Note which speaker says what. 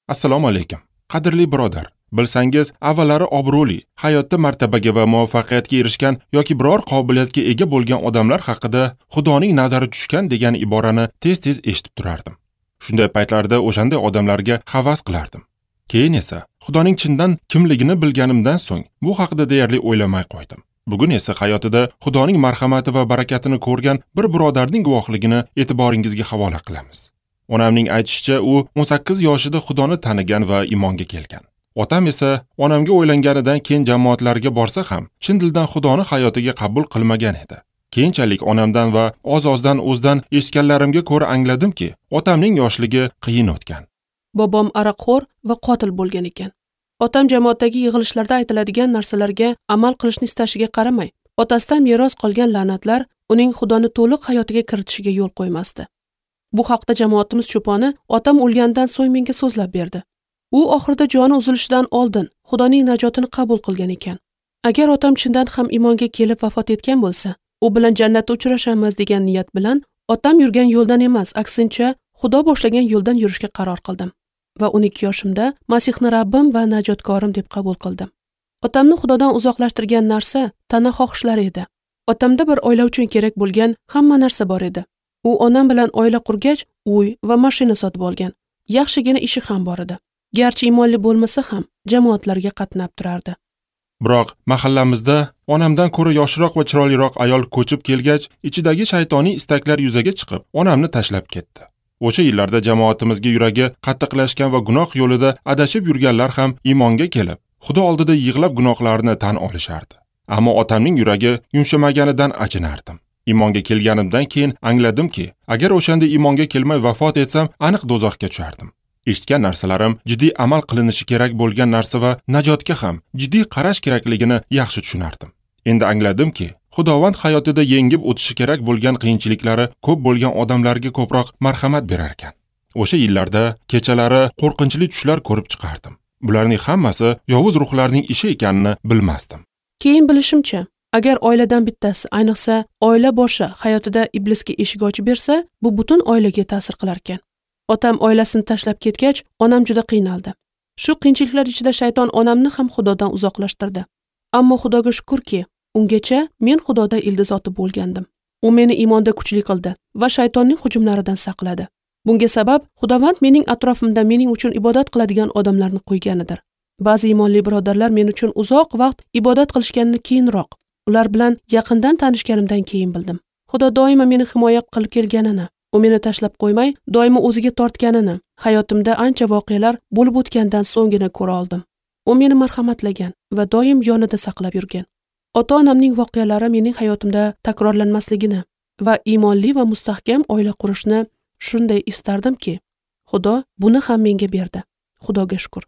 Speaker 1: Assalomu alaykum. Qadrli birodar, bilsangiz, avvallari obro'li, hayotda martabaga va muvaffaqiyatga erishgan yoki biror qobiliyatga ega bo'lgan odamlar haqida Xudoning nazari tushgan degan iborani tez-tez eshitib turardim. Shunday paytlarda o'shanday odamlarga havas qilardim. Keyin esa Xudoning chindan kimligini bilganimdan so'ng bu haqida deyarli o'ylamay qo'ydim. Bugun esa hayotida Xudoning marhamati va barakatini ko'rgan bir birodarning guvohligini e'tiboringizga havola qilamiz. Onamning aytishicha, u 18 yoshida Xudoni tanigan va iymonga kelgan. Otam esa onamga o'ylanganidan keyin jamoatlarga borsa ham, chin dildan Xudoni hayotiga qabul qilmagan edi. Keyinchalik onamdan va oz-ozdan o'zidan eshitganlarimga ko'ra angladimki, otamning yoshligi qiyin o'tgan.
Speaker 2: Bobom aroqxo'r va qotil bo'lgan ekan. Otam jamoatdagi yig'ilishlarda aytiladigan narsalarga amal qilishni istashiga qaramay, otasidan meros qolgan la'natlar uning Xudoni to'liq hayotiga kiritishiga yo'l qo'ymasdi. Bu haqda jamoatimiz cho'poni otam o'lgandan so'ng menga so'zlab berdi. U oxirida joni uzilishidan oldin Xudoning najotini qabul qilgan ekan. Agar otam chindan ham iymonga kelib vafot etgan bo'lsa, u bilan jannatda uchrashamiz degan niyat bilan otam yurgan yo'ldan emas, aksincha Xudo boshlagan yo'ldan yurishga qaror qildim va 12 yoshimda Masihni Rabbim va najotkorim deb qabul qildim. Otamni Xudodan uzoqlashtirgan narsa tana xohishlari edi. Otamda bir oila uchun kerak bo'lgan hamma narsa bor edi. U onam bilan oila qurgach, uy va mashina sotib olgan. Yaxshigina ishi ham bor edi. Garchi iymonli bo'lmasa ham jamoatlarga qatnab turardi.
Speaker 1: Biroq mahallamizda onamdan ko'ra yoshroq va chiroyliroq ayol ko'chib kelgach, ichidagi shaytoniy istaklar yuzaga chiqib, onamni tashlab ketdi. O'sha yillarda jamoatimizga yuragi qattiqlashgan va gunoh yo'lida adashib yurganlar ham iymonga kelib, Xudo oldida yig'lab gunohlarini tan olishardi. Ammo otamning yuragi yumshamaganidan achinardim. Iymonga kelganimdan keyin angladimki, agar o'shanda iymonga kelmay vafot etsam, aniq do'zaxga tushardim. Eshitgan narsalarim jiddiy amal qilinishi kerak bo'lgan narsa va najotga ham jiddiy qarash kerakligini yaxshi tushunardim. Endi angladimki, Xudovand hayotida yengib o'tishi kerak bo'lgan qiyinchiliklari ko'p bo'lgan odamlarga ko'proq marhamat berar ekan. O'sha yillarda kechalari qo'rqinchli tushlar ko'rib chiqardim. Bularning hammasi yovuz ruhlarning ishi ekanini bilmasdim.
Speaker 2: Keyin bilishimcha, agar oiladan bittasi, ayniqsa oila boshi hayotida iblisga eshik ochib bersa, bu butun oilaga ta'sir qilar ekan. Otam oilasini tashlab ketgach, onam juda qiynaldi. Shu qiyinchiliklar ichida shayton onamni ham Xudodan uzoqlashtirdi. Ammo Xudoga shukrki, ungacha men Xudoda ildiz otib bo'lgandim. U meni iymonda kuchli qildi va shaytonning hujumlaridan saqladi. Bunga sabab Xudovand mening atrofimda mening uchun ibodat qiladigan odamlarni qo'yganidir. Ba'zi iymonli birodarlar men uchun uzoq vaqt ibodat qilishganini keyinroq, ular bilan yaqindan tanishganimdan keyin bildim. Xudo doimo meni himoya qilib kelganini, u meni tashlab qo'ymay, doimo o'ziga tortganini hayotimda ancha voqealar bo'lib o'tgandan so'nggina ko'ra oldim. U meni marhamatlagan va doim yonida saqlab yurgan. Ota-onamning voqealari mening hayotimda takrorlanmasligini va iymonli va mustahkam oila qurishni shunday istardimki, Xudo buni ham menga berdi. Xudoga shukr.